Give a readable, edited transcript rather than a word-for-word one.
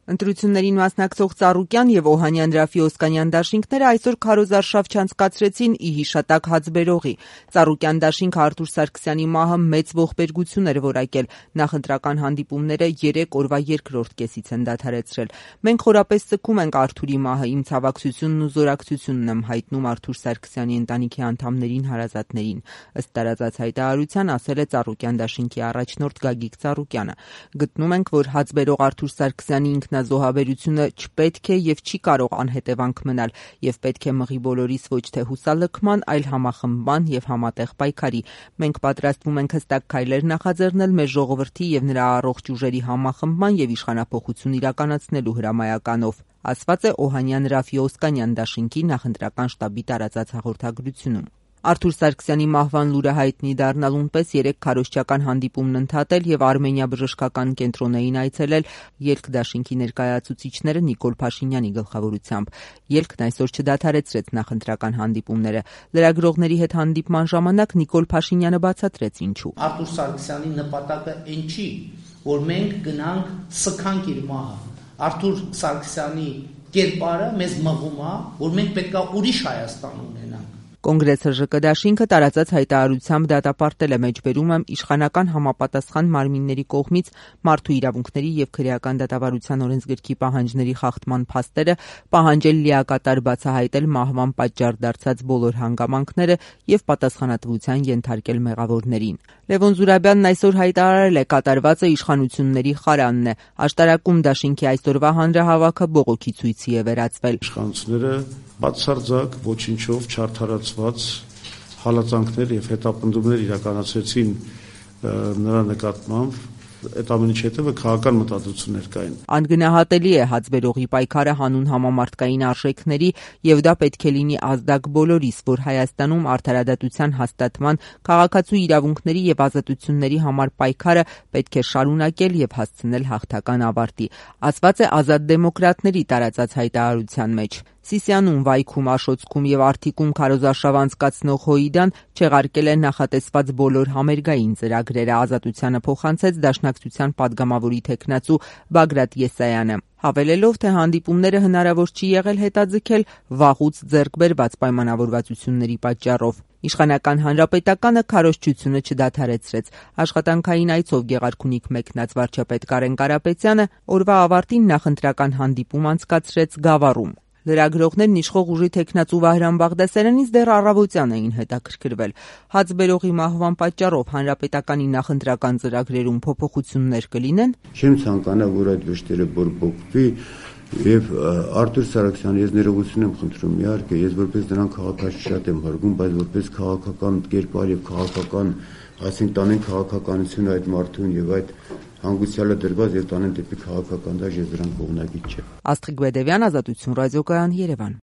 Ընտրություններին մասնակցող Ծառուկյան եւ Օհանյան Ռաֆի Օսկանյան դաշինքները այսօր քարոզարշավ չանցկացրեցին ի հիշատակ հացբերողի։ Ծառուկյան դաշինքը Արթուր Սարգսյանի մահը մեծ ողբերգություն էր որակել։ Նախընտրական հանդիպումները 3 օրվա երկրորդ կեսից են դադարեցրել։ Մենք խորապես սգում ենք Արթուրի մահը, իմ ցավակցությունն ու զորակցությունն եմ հայտնում Արթուր Սարգսյանի ընտանիքի անդամներին, հարազատներին, ըստ տարածած հայտարարության ասել է Ծառուկյան դաշինքի առաջնորդ Գագիկ Ծառուկյանը։ Գտնում ենք, որ հացբերող Արթուր Սարգսյանի ինքնազոհաբերությունը չպետք է եւ չի կարող անհետևանք մնալ եւ պետք է մղի բոլորիս ոչ թե հուսալքման, այլ համախմբման եւ համատեղ պայքարի։ Մենք պատրաստվում ենք հստակ քայլեր նախաձեռնել մեր ժողովրդի եւ նրա առողջ ուժերի համախմբման եւ իշխանափոխություն իրականացնելու հրամայականով, ասված է Օհանյան Ռաֆի Օսկանյան դաշինքի նախընտրական շտաբի տարածած հաղորդագրությունում։ Արթուր Սարգսյանի մահվան լուրը հայտնի դառնալուն պես 3 քարոզչական հանդիպումն ընդհատել եւ Արմենիա բժշկական կենտրոնային այցելել ելք դաշինքի ներկայացուցիչները Նիկոլ Փաշինյանի գլխավորությամբ։ Ելքն այսօր չդադարեցրեց նախընտրական հանդիպումները։ Լրագրողների հետ հանդիպման ժամանակ Նիկոլ Փաշինյանը բացատրեց ինչու։ Արթուր Սարգսյանի նպատակը այն չի, որ մենք գնանք սքանք իր մահը։ Արթուր Սարգսյանի կերպարը մեզ մղում է, որ մենք պետքա ուրիշ Հայաստան ունենանք։ Կոնգրես ՀԺԿ դաշինքը տարածած հայտարարությամբ դատապարտել է մեջբերումը իշխանական համապատասխան մարմինների կողմից մարդու իրավունքների եւ քրեական դատավարության օրենսգրքի պահանջների խախտման փաստերը, պահանջել լիակատար բացահայտել մահվան պատճառ դարձած բոլոր հանգամանքները եւ պատասխանատվության ենթարկել մեղավորներին։ Լևոն Զուրաբյանն այսօր հայտարարել է կատարվածը իշխանությունների խարանն է։ Աշտարակում դաշինքի այսօրվա հանրահավաքը բողոքի ցույցի է վերածվել։ Իշխանությունները բացարձակ ոչինչով չարդարացված հալածանքներ եւ հետապնդումներ իրականացրեցին նրա նկատմամբ։ Այդ ամենի հետևը քաղաքական մտադրություններ կային։ Անգնահատելի է հացբերողի պայքարը հանուն համամարտկային արժեքների եւ դա պետք է լինի ազդակ բոլորիս, որ Հայաստանում արդարադատության հաստատման, քաղաքացու իրավունքների եւ ազատությունների համար պայքարը պետք է շարունակել եւ հասցնել հաղթական ավարտի, ասված է Ազատ դեմոկրատների տարածած հայտարարության մեջ։ Սիսիանում, Վայքում, Աշոցքում եւ Արթիկում քարոզարշավ անցկացնող ՀՅԴ-ն չեղարկել է նախատեսված բոլոր համերգային ծրագրերը, ազատությանը փոխանցեց Դաշնակցության падգամավորի թեկնածու Բագրատ Եսայանը, հավելելով, թե հանդիպումները հնարավոր չի եղել հետաձգել վաղուց ձեռք բերված պայմանավորվածությունների պատճառով։ Իշխանական հանրապետականը քարոզչությունը չդադարեցրեց։ Աշխատանքային այցով Գեղարքունիք մեկնած վարչապետ Կարեն Կարապետյանը օրվա ավարտին նախընտրական հանդիպում անցկացրեց Գավառում։ Լրագրողներն իշխող ուժի թեկնածու Վահրամ Բաղդասարյանից դեռ առավոտյան էին հետաքրքրվել։ Հացբերողի մահվան պատճառով հանրապետականի նախընտրական ծրագրերում փոփոխություններ կլինեն։ Չեմ ցանկանա, որ այդ վշտերը բորբոքվի եւ Արթուր Սարգսյանը ես ներողություն եմ խնդրում, իհարկե, ես որպես նրան քաղաքացի շատ եմ հարգում, բայց որպես քաղաքական կերպար եւ քաղաքական, այսինքն տանեն քաղաքականությունը այդ մարդուն եւ այդ հանգուցյալը դրված եւ տանեն դեպի քաղաքական դաշտ, ես դրան կողմնակից չեմ։ Աստղիկ Բեդևյան, Ազատություն ռադիոկայան, Երևան։